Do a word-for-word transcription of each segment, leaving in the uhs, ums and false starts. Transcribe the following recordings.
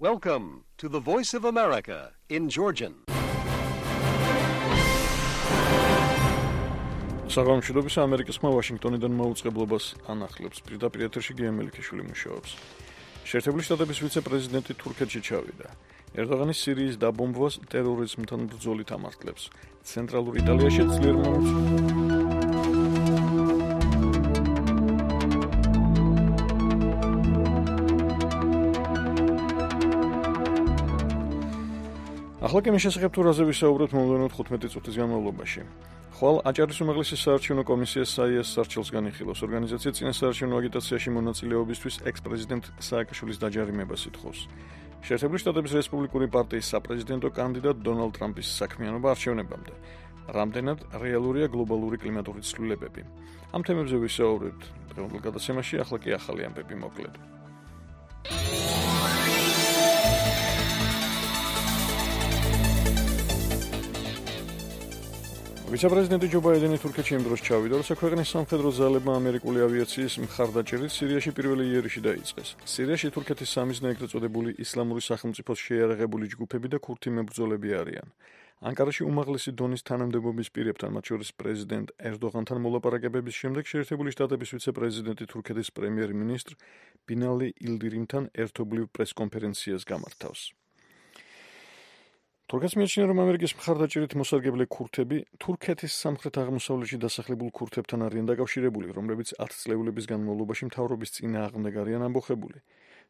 Welcome to the Voice of America in Georgian. საღამოშიდობის ამერიკის ხმა ვაშინგტონიდან მოუწყებლობას ანახლებს. პირდაპირ ეთერში გია მელიქიშვილი მუშაობს. შეერთებული შტატების ვიცე-პრეზიდენტი თურქეთში ჩავიდა. ერდოღანი სირიის დაბომბვას ტერორიზმთან ბრძოლით ამართლებს. ცენტრალურ იტალიაში ძლიერ მომწვევ ახლა კი შესაძლებ თუ რაზე ვისაუბროთ მომდევნო თხუთმეტი წუთის განმავლობაში. ხვალ აჭარის უმაღლესი საარჩევნო კომისია საიას სარჩელს განიხილავს. ორგანიზაცია წინა საარჩევნო აგიტაციაში მონაწილეობისთვის ექს-პრეზიდენტ სააკაშვილის დაჯარიმებას ითხოვს. შეერთებული შტატების რესპუბლიკური პარტიის საპრეზიდენტო კანდიდატ დონალდ ტრამპის საქმიანობა არჩევნებამდე. რამდენად რეალურია გლობალური კლიმატური ცვლილებები. ამ თემებზე ვისაუბრებთ დღევანდელ გადაცემაში, ახლა კი ახალი ამბები მოკლედ. ვიცე-პრეზიდენტი ჯო ბაიდენი თურქეთში იმ დროს ჩავიდა, როცა ქვეყნის სამხედრო ძალებმა ამერიკული ავიაციის მხარდაჭერით სირიაში პირველი იერიში დაიწყეს. სირიაში თურქეთის სამიზნე ეგრეთ წოდებული ისლამური სახელმწიფოს შეიარაღებული ჯგუფები და ქურთი მებრძოლები არიან. ანკარაში უმაღლესი დონის თანამდებობის პირებთან, მათ შორის პრეზიდენტ ერდოღანთან მოლაპარაკებების შემდეგ შეერთებული შტატების ვიცე-პრეზიდენტი თურქეთის პრემიერ-მინისტრ ბინალი ილდირიმთან ერთობლივ პრესკონფერენციას გამართავს. თურქეთს მიაჩნია, რომ ამერიკის მხარდაჭერით მოსარგებლე ქურთები თურქეთის სამხრეთ-აღმოსავლეთში დასახლებულ ქურთებთან არიან დაკავშირებული, რომლებიც ათწლეულების განმავლობაში მთავრობის წინააღმდეგ არიან ამბოხებული.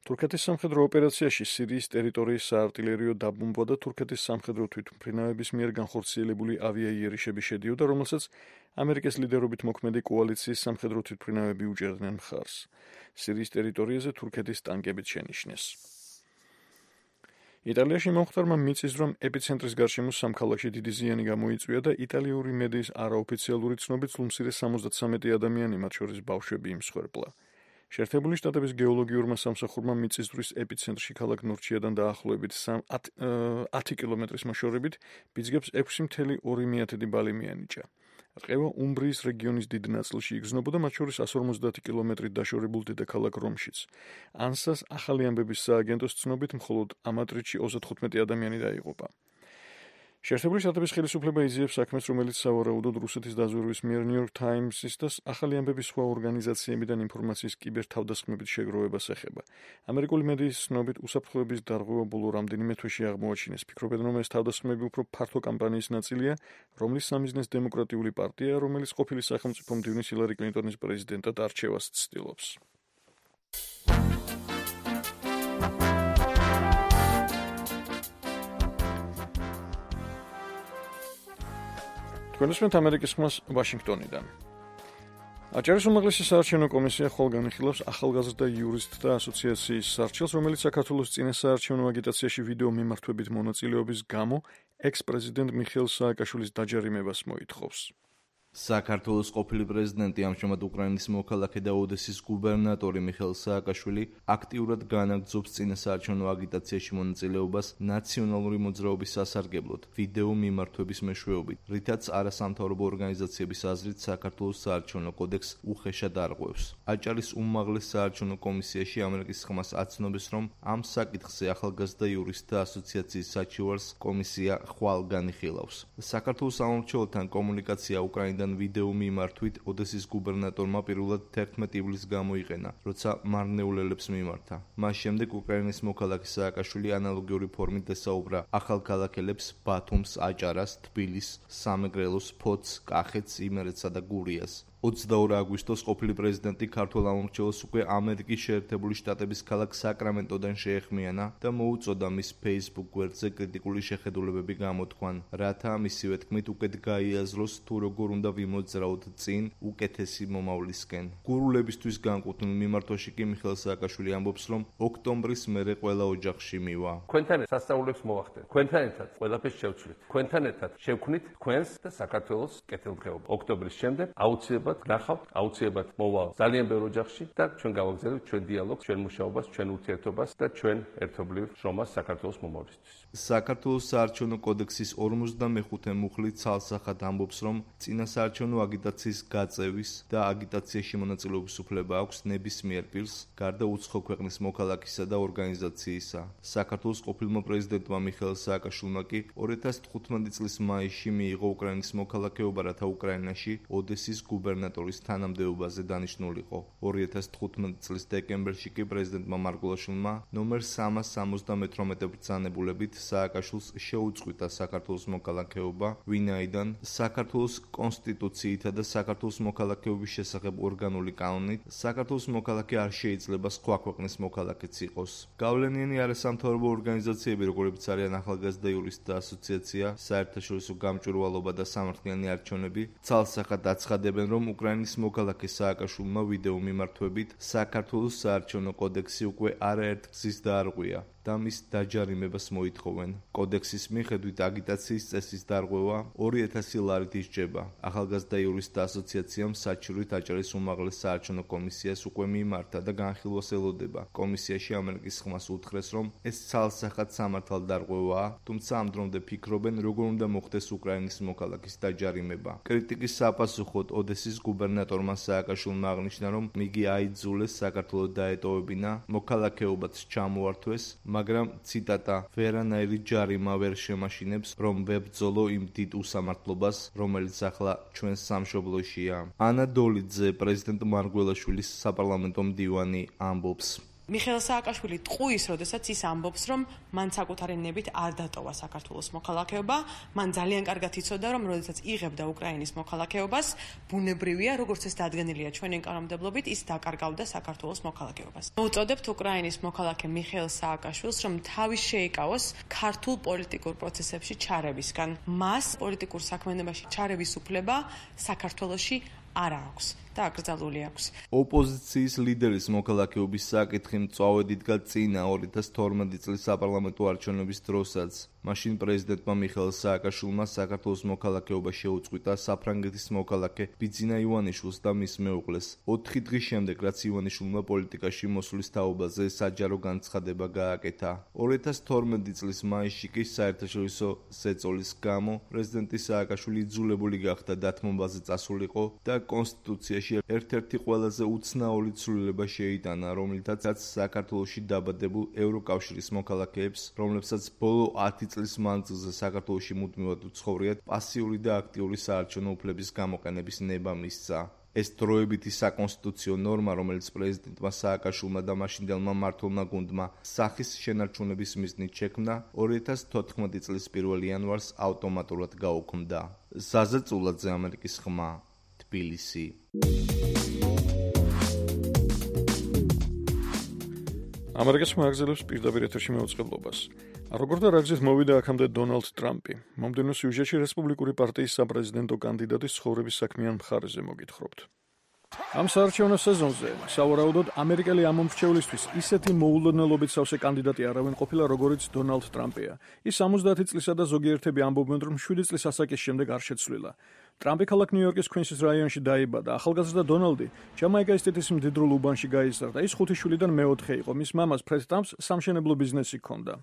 თურქეთის სამხედრო ოპერაციაში სირიის ტერიტორიის საარტილერიო დაბომბვა და თურქეთის სამხედრო თვითმფრინავების მიერ განხორციელებული ავიაიერიშები შედიოდა, რომელსაც ამერიკის ლიდერობით მოქმედი კოალიციის სამხედრო თვითმფრინავები უჭერდნენ მხარს. სირიის ტერიტორიაზე თურქეთის ტანკებით შენიშნეს. იტალიაში მომხდარმა მიწის ძვრამ ეპიცენტრის გარშემო სამ ქალაქში დიდი ზიანი გამოიწვია და იტალიური მედიის არაოფიციალური ცნობით სულ მცირე სამოცდათვრამეტი ადამიანი, მათ შორის ბავშვები იმსხვერპლა. შეერთებული შტატების გეოლოგიურმა სამსახურმა მიწის ძვრის ეპიცენტრში ქალაქ ნორჩიადან დაახლოებით ათი კილომეტრის მოშორებით ბიძგებს ექვსი მცდე ორი ბალი მიანიჭა. რყევა უმბრიის რეგიონის დიდ ნაწილში იგრძნობოდა, მათ შორის ასი ორმოცდაათი კილომეტრით დაშორებულ დედაქალაქ რომშიც. ანსას ახალი ამბების სააგენტოს ცნობით მხოლოდ ამ ატრიტში ოცდათხუთმეტი ადამიანი დაიღუპა. შეერთებული შტატების ხელისუფლება იზიებს საქმეს, რომელიც სავარაუდოდ რუსეთის დაზვერვის მიერ New York Times-ის და ახალი ამბების სხვა ორგანიზაციებიდან ინფორმაციის კიბერთავდასხმებით შეგროვებას ეხება. ამერიკული მედიის ცნობით უსაფრთხოების დარღვევა ბოლო რამდენიმე თვეში აღმოაჩინეს. ფიქრობენ, რომ ეს თავდასხმები უფრო ფართო კამპანიის ნაწილია, რომლის სამიზნეს დემოკრატიული პარტია, რომელიც ყოფილი სახელმწიფო მდივნის ჰილარი კლინტონის პრეზიდენტად არჩევას ცდილობს. თქვენისმენთ ამერიკის ხმას ვაშინგტონიდან. აჭარის უმაღლესი საარჩევნო კომისია ხვალ განიხილავს ახალგაზრდა იურისტთა ასოციაციის სარჩელს, რომელიც საქართველოს წინა საარჩევნო აგიტაციაში ვიდეო მიმართვებით მონაწილეობის გამო ექს-პრეზიდენტ მიხეილ სააკაშვილის დაჯარიმებას მოითხოვს. საქართველოს ყოფილი პრეზიდენტი, ამჟამად უკრაინის მოქალაქე და ოდესის გუბერნატორი მიხეილ სააკაშვილი აქტიურად განაგრძობს წინა საარჩევნო აგიტაციაში მონაწილეობას ნაციონალური მოძრაობის სასარგებლოდ, ვიდეო მიმართვების მეშვეობით, რითაც არასამთავრობო ორგანიზაციების აზრით საქართველოს საარჩევნო კოდექსს უხეშად არღვევს. აჭარის უმაღლეს საარჩევნო კომისიაში ამერიკის ხმას აცნობს, რომ ამ საკითხზე ახალგაზრდა იურისტთა ასოციაციის საჩივარს კომისია ხვალ განიხილავს. საქართველოს სამმართველთან კომუნიკაცია უკრაინიდან ვიდეო მიმართვით ოდესის გუბერნატორმა პირველად თერთმეტი ივლისს გამოიყენა, როცა მარნეულელებს მიმართა. მას შემდეგ უკრაინის მოქალაქე სააკაშვილი ანალოგიური ფორმით ესაუბრა ახალქალაქელებს ბათუმს, აჭარას, თბილისს, სამეგრელოს, ფოთს, კახეთს, იმერეთსა და გურიას. ოცდაორი აგვისტოს ყოფილი პრეზიდენტი ქართველ ამორჩეულს უკვე ამერიკის შეერთებული შტატების ქალაქ საკრამენტოდან შეეხმიანა და მოუწოდა მის Facebook გვერდზე კრიტიკული შეხედულებები გამოთქვან, რათა მისივე თქმით უკეთ გაიაზროს თუ როგორ უნდა ვიმოძრაოთ წინ უკეთესი მომავლისკენ. გურულებისთვის განკუთვნილ მიმართვაში კი მიხეილ სააკაშვილი ამბობს, რომ ოქტომბრის მერე ყველა ოჯახში მივა. Თქვენთან სასწაულებს მოვახდენთ. თქვენთან ერთად ყველაფერს შევცვლით. თქვენთან ერთად შევქმნით თქვენს და საქართველოს კეთილდღეობა. ოქტომბრის შემდეგ აუცილებლად უწესრიგებლად ნახავთ, აუცილებლად მოვალ ძალიან ბევრ ოჯახში და ჩვენ გავაგზავნებთ ჩვენ დიალოგს, ჩვენ მუშაობას, ჩვენ ურთიერთობას და ჩვენ ერთობლივ შრომას საქართველოს მომავლისთვის. საქართველოს საარჩევნო კოდექსის ორმოცდამეხუთე მუხლი ცალსახად ამბობს, რომ წინა საარჩევნო აგიტაციის გაწევის და აგიტაციაში მონაწილეობის უფლება აქვს ნებისმიერ პირს, გარდა უცხო ქვეყნის მოქალაქისა და ორგანიზაციისა. საქართველოს ყოფილმა პრეზიდენტმა მიხეილ სააკაშვილმა კი ორი ათას თხუთმეტი წლის მაისში მიიღო უკრაინის მოქალაქეობა, რათა უკრაინაში ოდესის გუბერნატორის თანამდებობაზე დანიშნულიყო. ორი ათას თხუთმეტი წლის დეკემბერში კი პრეზიდენტმა მარგველაშვილმა ნომერ სამას სამოცდამეთვრამეტე ბრძანებულებით სააკაშვილს შეუწყვიტა საქართველოს მოქალაქეობა, ვინაიდან საქართველოს კონსტიტუციითა და საქართველოს მოქალაქეობის შესახებ ორგანული კანონით საქართველოს მოქალაქე არ შეიძლება სხვა ქვეყნის მოქალაქეც იყოს. გავლენიანი არასამთავრობო ორგანიზაციები, როგორებიც არიან ახალგაზრდა იურისტთა ასოციაცია, საერთაშორისო გამჭვირვალობა და სამართლიანი არჩევნები, ცალსახად აცხადებენ, რომ უკრაინის მოქალაქე სააკაშვილმა ვიდეო მიმართვებით საქართველოს საარჩევნო კოდექსი უკვე არაერთგზის დაარღვია და მის დაჯარიმებას მოითხოვენ. კოდექსის მიხედვით აგიტაციის წესის დარღვევა ორი ათასი ლარით ისჯება. ახალგაზრდა იურისტთა ასოციაციამ საჩივრით აჭარის უმაღლეს საარჩევნო კომისიას უკვე მიმართა და განხილვას ელოდება. კომისიაში ამერიკის ხმას უთხრეს, რომ ეს ცალსახად სამართალ დარღვევაა, თუმცა ამ დრომდე ფიქრობენ, როგორ უნდა მოხდეს უკრაინის მოქალაქის დაჯარიმება. კრიტიკის საპასუხოდ ოდესის გუბერნატორმა სააკაშვილმა აღნიშნა, რომ იგი აიძულეს საქართველოს დაეტოვებინა, მოქალაქეობაც ჩამოართვეს, მაგრამ ციტატა ვერანაირი ჯარიმა ვერ შემაშინებს, რომ ვებრძოლო იმ დიდ უსამართლობას, რომელიც ახლა ჩვენს სამშობლოშია. ანა დოლიძე, პრეზიდენტ მარგველაშვილის საპარლამენტო მდივანი, ამბობს. მიხეილ სააკაშვილი ტყუის, როდესაც ის ამბობს, რომ მან საკუთარი ნებით არ დატოვა საქართველოს მოქალაქეობა, მან ძალიან კარგად იცოდა, რომ როდესაც იღებდა უკრაინის მოქალაქეობას, ბუნებრივია, როგორც ეს დადგენილია ჩვენი კანონმდებლობით, ის დაკარგავდა საქართველოს მოქალაქეობას. მოუწოდებთ უკრაინის მოქალაქე მიხეილ სააკაშვილს, რომ თავი შეიკავოს ქართულ პოლიტიკურ პროცესებში ჩარევისგან. მას პოლიტიკურ საქმიანობაში ჩარევის უფლება საქართველოში არ აქვს და აკრძალული აქვს. ოპოზიციის ლიდერის მოქალაქეობის საკითხი მწვავედ იდგა წინა ორი ათას თორმეტი წლის საპარლამენტო არჩევნების დროსაც. მაშინ პრეზიდენტმა მიხეილ სააკაშვილმა საქართველოს მოქალაქეობა შეუწყვიტა საფრანგეთის მოქალაქე ბიძინა ივანიშვილს და მის მეუღლეს. ოთხი დღის შემდეგ, რაც ივანიშვილმა პოლიტიკაში მოსვლის თაობაზე საჯარო განცხადება გააკეთა. ორი ათას თორმეტი წლის მაისში კი საერთაშორისო ზეწოლის გამო პრეზიდენტი სააკაშვილი იძულებული გახდა დათმობაზე წასულიყო და კონსტიტუციაში ერთ-ერთი ყველაზე უცნაური ცვლილება შეიტანა, რომლითაც საქართველოში დაბადებულ ევროკავშირის მოქალაქეებს, რომლებსაც ბოლო ათი წლის მანძილზე საქართველოში მუდმივად უცხოვრიათ, პასიური და აქტიური საარჩევნო უფლების გამოყენების ნება მისცა. ეს დროებითი საკონსტიტუციო ნორმა, რომელიც პრეზიდენტმა სააკაშვილმა და მაშინდელმა მმართველმა გუნდმა სახის შენარჩუნების მიზნით შექმნა, ორი ათას თოთხმეტი წლის პირველი იანვარს ავტომატურად გაუქმდა. ზაზა წულაძე, ამერიკის ხმა, თბილისი. ამერიკის მაგზელებს პირდაპირ ეთერში მეუწყებლობას. როგორ და რა გზით მოვიდა აქამდე დონალდ ტრამპი? მომდევნო სიუჟეტში რესპუბლიკური პარტიის საპრეზიდენტო კანდიდატის ცხოვრების საქმიან მხარეზე მოგითხრობთ. ამ საარჩევნო სეზონზე სავარაუდოდ ამერიკელი ამომრჩევლისთვის ისეთი მოულოდნელობით სავსე კანდიდატი არავინ ყოფილა, როგორიც დონალდ ტრამპია. ის სამოცდაათი წლისა და ზოგიერთები ამბობენ, რომ შვიდი წლის ასაკის შემდეგ არ შეცვლილა. ტრამპი ქალაქ ნიუ-იორკის ქვინსის რაიონში დაიბადა. ახალგაზრდა დონალდი ჯამაიკას სტეიტის მდიდრულ უბანში გაიზარდა. ის ხუთი შვილიდან მეოთხე იყო. მის მამას ფრედ ტრამპს სამშენებლო ბიზნესი ჰქონდა.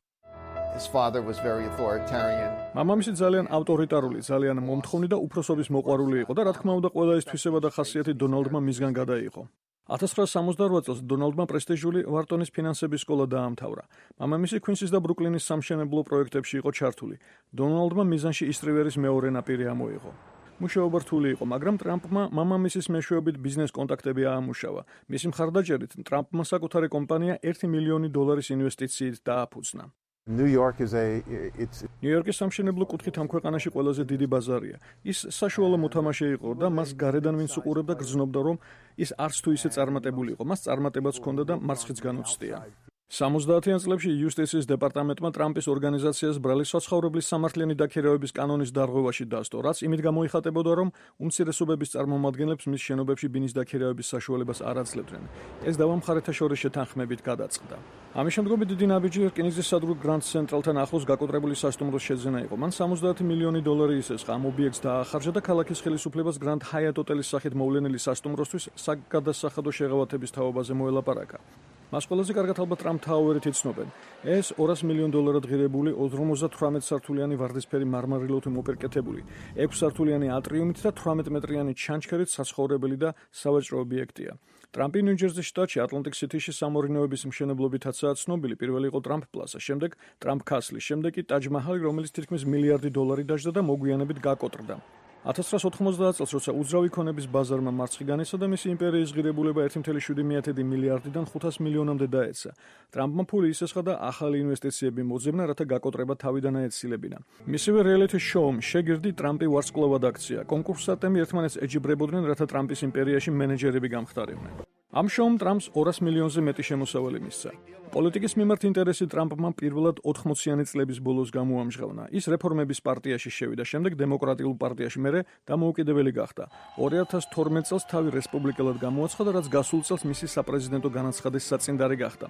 His father was very authoritarian. მამამისი ძალიან ავტორიტარული, ძალიან მომთხოვნი და უფროსობის მოყვარული იყო და რა თქმა უნდა ყველა ეს თვისება და ხასიათი დონალდმა მისგან გადაიღო. ათას ცხრაასი სამოცდაორ წელს დონალდმა პრესტიჟული ვარტონის ფინანსების სკოლა დაამთავრა. მამამისი ქვინსის და ბრუკლინის სამშენებლო პროექტებში იყო ჩართული. დონალდმა მიზანში ისტრივერის მეორე ნაპირი ამოიღო. მუშაობა რთული იყო, მაგრამ ტრამპმა მამამისის მეშვეობით ბიზნეს კონტაქტები აამუშავა. მისი მხარდაჭერით ტრამპმა საკუთარი კომპანია ერთი მილიონი დოლარის ინვესტიციით დააფუძნა. New York is a it's ნიუ-იორკის სამშენებლო კუთხით ამ ქვეყანაში ყველაზე დიდი ბაზარია. ის საშუალო მოთამაშე იყო და მას გარედან ვინც უყურებდა გრძნობდა, რომ ის არც თუ ისე წარმატებული იყო. მას წარმატებაც ჰქონდა და მარცხიც განუცდია. სამოცდაათიან წლებში იუსტიციის დეპარტამენტმა ტრამპის ორგანიზაციას ბრალი საცხოვრებლის სამართლიანი დაქირავების კანონის დარღვევაში დასტო, რაც იმით გამოიხატებოდა, რომ უმცირესობების წარმომადგენლებს მის შენობებში ბინის დაქირავების საშუალებას არ აძლევდნენ. ეს დავა მხარეთა შორის შეთანხმებით გადაწყდა. ამის შემდგომ დიდი ნაბიჯი რკინიგზის სადროე გრანდ ცენტრალთან ახლოს გაკოტრებული სასტუმროს შეძენა იყო. მან სამოცდაათი მილიონი დოლარი ისესხა ამ ობიექტს დაახარჯა და ქალაქის ხელისუფლებას გრანდ ჰაიატ ოტელის სახით მოვლენილი სასტუმროსთვის საგადასახადო შეღავათების თაობაზე მოელაპარაკა. მას ყველაზე კარგად ალბათ ტრამპ თაუერით იცნობენ. ეს ორასი მილიონ დოლარად ღირებული ოცდაოთხ სართულიანი ვარდისფერი მარმარილოთ მოპირკეთებული, ექვსი სართულიანი ატრიუმით და თვრამეტ მეტრიანი ჩანჩქერით საცხოვრებელი და სავაჭრო ობიექტია. ტრამპი ნიუ-ჯერზის შტატში ატლანტიკ სიტიში სამორინოების მშენებლობითაცაა ცნობილი. პირველი იყო ტრამპ პლაზა, შემდეგ ტრამპ კასლი, შემდეგ კი ტაჯ მაჰალი, რომელიც თითქმის მილიარდი დოლარი დაჯდა და მოგვიანებით გაკოტრდა. ათას ცხრაასი ოთხმოცდაათ წელს, როცა უძრავი ქონების ბაზარმა მარცხი განიცადა და მისი იმპერიის ღირებულება ერთი კoma შვიდი მილიარდიდან ხუთას მილიონამდე დაეცა. ტრამპმა ფული ისესხა და ახალი ინვესტიციები მოძებნა, რათა გაკოტრება თავიდან აეცილებინა. მისივე რეალიტი შოუმ შეგირდი ტრამპი ვარსკვლავად აქცია. კონკურსანტები ერთმანეთს ეჯიბრებოდნენ, რათა ტრამპის იმპერიაში მენეჯერები გამხდარიყვნენ. ამ შოუმ ტრამპს ორასი მილიონზე მეტი შემოსავალი მისცა. პოლიტიკის მიმართ ინტერესი ტრამპმა პირველად ოთხმოციანი წლების ბოლოს გამოამჟღავნა. ის რეფორმების პარტიაში შევიდა, შემდეგ დემოკრატიულ პარტიაში, მერე დამოუკიდებელი გახდა. ორი ათას თორმეტ წელს თავი რესპუბლიკელად გამოაცხადა, რაც გასულ წელს მისი საპრეზიდენტო განაცხადის საწინდარი გახდა.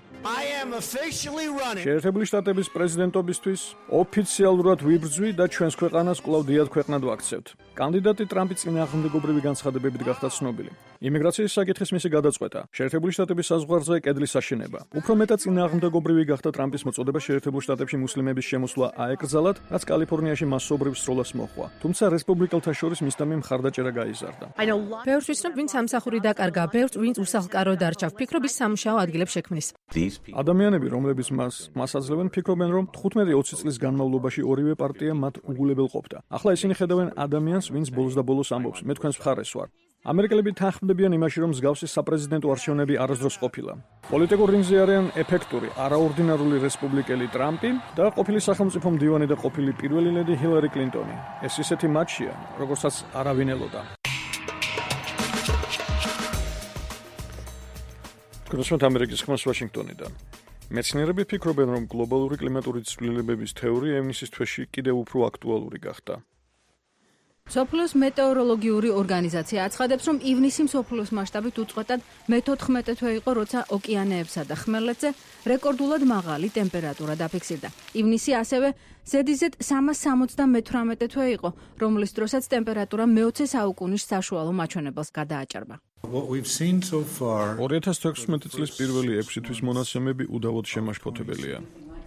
შეერთებული შტატების პრეზიდენტობისთვის ოფიციალურად ვიბრძვი და ჩვენს ქვეყანას კვლავ დიად ქვეყნად ვაქცევთ. კანდიდატი ტრამპი წინააღმდეგობრივი განცხადებებით გახდა ცნობილი. იმიგრაციის საკითხის მისი გადაწყვეტა, შეერთებული შტატების საზღვარზე კედლის აშენება. უფრო მეტად წინააღმდეგობრივი გახდა ტრამპის მოწოდება შეერთებულ შტატებში მუსლიმების შემოსვლა აეკრძალათ, რაც კალიფორნიაში მასობრივ სროლას მოჰყვა. თუმცა რესპუბლიკელთა შორის მისდამი მხარდაჭერა გაიზარდა. ბევრს ვიცნობ, ვინც სამსახური დაკარგა, ბევრს ვინც უსახლკარო დარჩა, ვფიქრობ ის სამუშაო ადგილებს შექმნის. ადამიანები, რომლებიც მას მას აძლევენ, ფიქრობენ, რომ თხუთმეტი ოცი წლის განმავლობაში ორივე პარტია მათ უგულებელ ყოფდა. ახლა ისინი ხედავენ ადამიანს, ვინც ბოლოს და ბოლოს ამბობს, მე თქვენს მხარეს ვარ. ამერიკელები თანხმდებიან იმაში, რომ მსგავსი საპრეზიდენტო არჩევნები არასდროს ყოფილა. პოლიტიკურ რინგზე არიან ეფექტური, არაორდინარული რესპუბლიკელი ტრამპი და ყოფილი სახელმწიფო მდივანი და ყოფილი პირველი ლედი ჰილარი კლინტონი. ეს ისეთი მატჩია, როგორცაც არავინ ელოდა. კონსულტანტ ამერიკის ხმას ვაშინგტონიდან. მეცნიერები ფიქრობენ, რომ გლობალური კლიმატური ცვლილებების თეორია ივნისის თვეში კიდევ უფრო აქტუალური გახდა. მსოფლიოს მეტეოროლოგიური ორგანიზაცია აცხადებს, რომ ივნისი მსოფლიოს მასშტაბით უწყვეტად მეთოთხმეტე თვე იყო, როცა ოკეანეებსა და ხმელეთზე რეკორდულად მაღალი ტემპერატურა დაფიქსირდა. ივნისი ასევე ზედიზედ სამას სამოცდამეთვრამეტე თვე იყო, რომლის დროსაც ტემპერატურა მეოცე საუკუნის საშუალო მაჩვენებელს გადააჭარბა. ორი ათას თექვსმეტი წლის პირველი ექვსი თვის მონაცემები უდავოდ შემაშფოთებელია.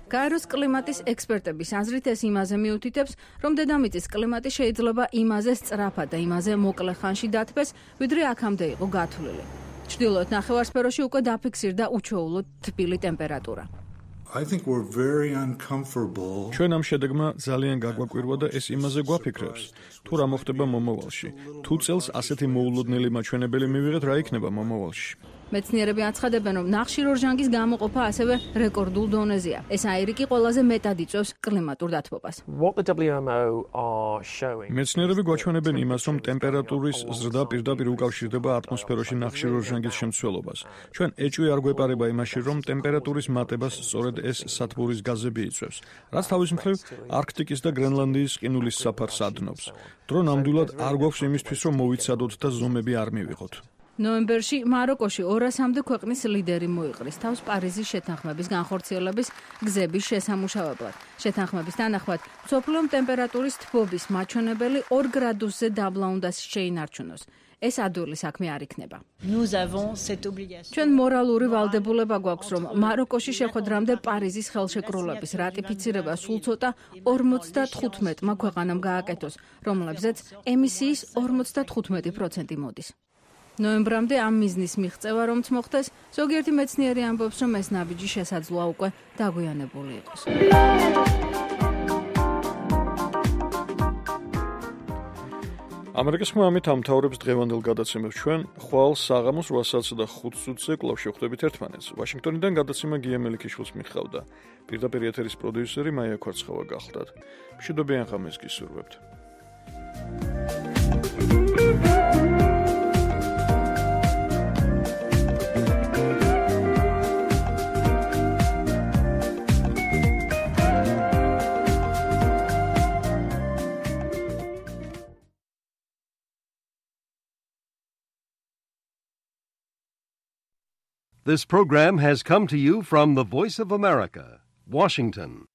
გაეროს კლიმატის ექსპერტების აზრით ეს იმაზე მიუთითებს, რომ დედამიწის კლიმატი შეიძლება იმაზე სწრაფად და იმაზე მოკლე ხანში დათბეს, ვიდრე აქამდე იყო გათვლილი. ჩრდილოეთ ნახევარსფეროში უკვე დაფიქსირდა უჩვეულოდ თბილი ტემპერატურა. I think we're very uncomfortable. ჩვენ ამ შედეგმა ძალიან გაგვაკვირვა და ეს იმაზე გვაფიქრებს, თუ რა მოხდება მომავალში. თუ წელს ასეთი მოულოდნელი მაჩვენებელი მივიღეთ, რა იქნება მომავალში. მეცნიერები აცხადებენ, რომ ნახშირორჟანგის გამოყოფა ასევე რეკორდულ დონეზეა. ეს აირი კი ყველაზე მეტად იწვევს კლიმატურ დათბობას. მეცნიერები გვაჩვენებენ იმას, რომ ტემპერატურის ზრდა პირდაპირ უკავშირდება ატმოსფეროში ნახშირორჟანგის შემცველობას. ჩვენ ეჭვი არ გვეპარება იმაში, რომ ტემპერატურის მატებას სწორედ ეს სათბურის გაზები იწვევს, რაც თავის მხრივ არქტიკის და გრენლანდიის ყინულის საფარს ადნობს. დრო ნამდვილად არ გვაქვს იმისთვის, რომ მოვიცადოთ და ზომები არ მივიღოთ. ნოემბერში მაროკოში ორასამდე ქვეყნის ლიდერი მოიყრის თავს პარიზის შეთანხმების განხორციელების გზების შესამუშავებლად. შეთანხმების თანახმად, მსოფლიო ტემპერატურის თბობის მაჩვენებელი ორ გრადუსზე დაბლა უნდა შეინარჩუნოს. ეს ადვილი საქმე არ იქნება. ჩვენ მორალური ვალდებულება გვაქვს, რომ მაროკოში შეხვედრამდე პარიზის ხელშეკრულების რატიფიცირება სულ ცოტა ორმოცდათხუთმეტმა ქვეყანამ გააკეთოს, რომლებზეც ემისიის ორმოცდათხუთმეტი პროცენტი მოდის. ნოემბრამდე ამ მიზნის მიღწევა რომც მოხდეს, ზოგიერთი მეცნიერი ამბობს, რომ ეს ნაბიჯი შესაძლოა უკვე დაგვიანებული იყოს. ამერიკის ხმა ამით ამთავრებს დღევანდელ გადაცემებს. ჩვენ ხვალ საღამოს რვასა და ხუთ წუთზე კვლავ შევხვდებით ერთმანეთს. ვაშინგტონიდან გადაცემა გია მელიქიშვილს მიხავდა. პირდაპირ ეთერის პროდიუსერი მაია ქვარცხავა გახლდათ. მშვიდობიან ღამეს გისურვებთ. This program has come to you from the Voice of America, Washington.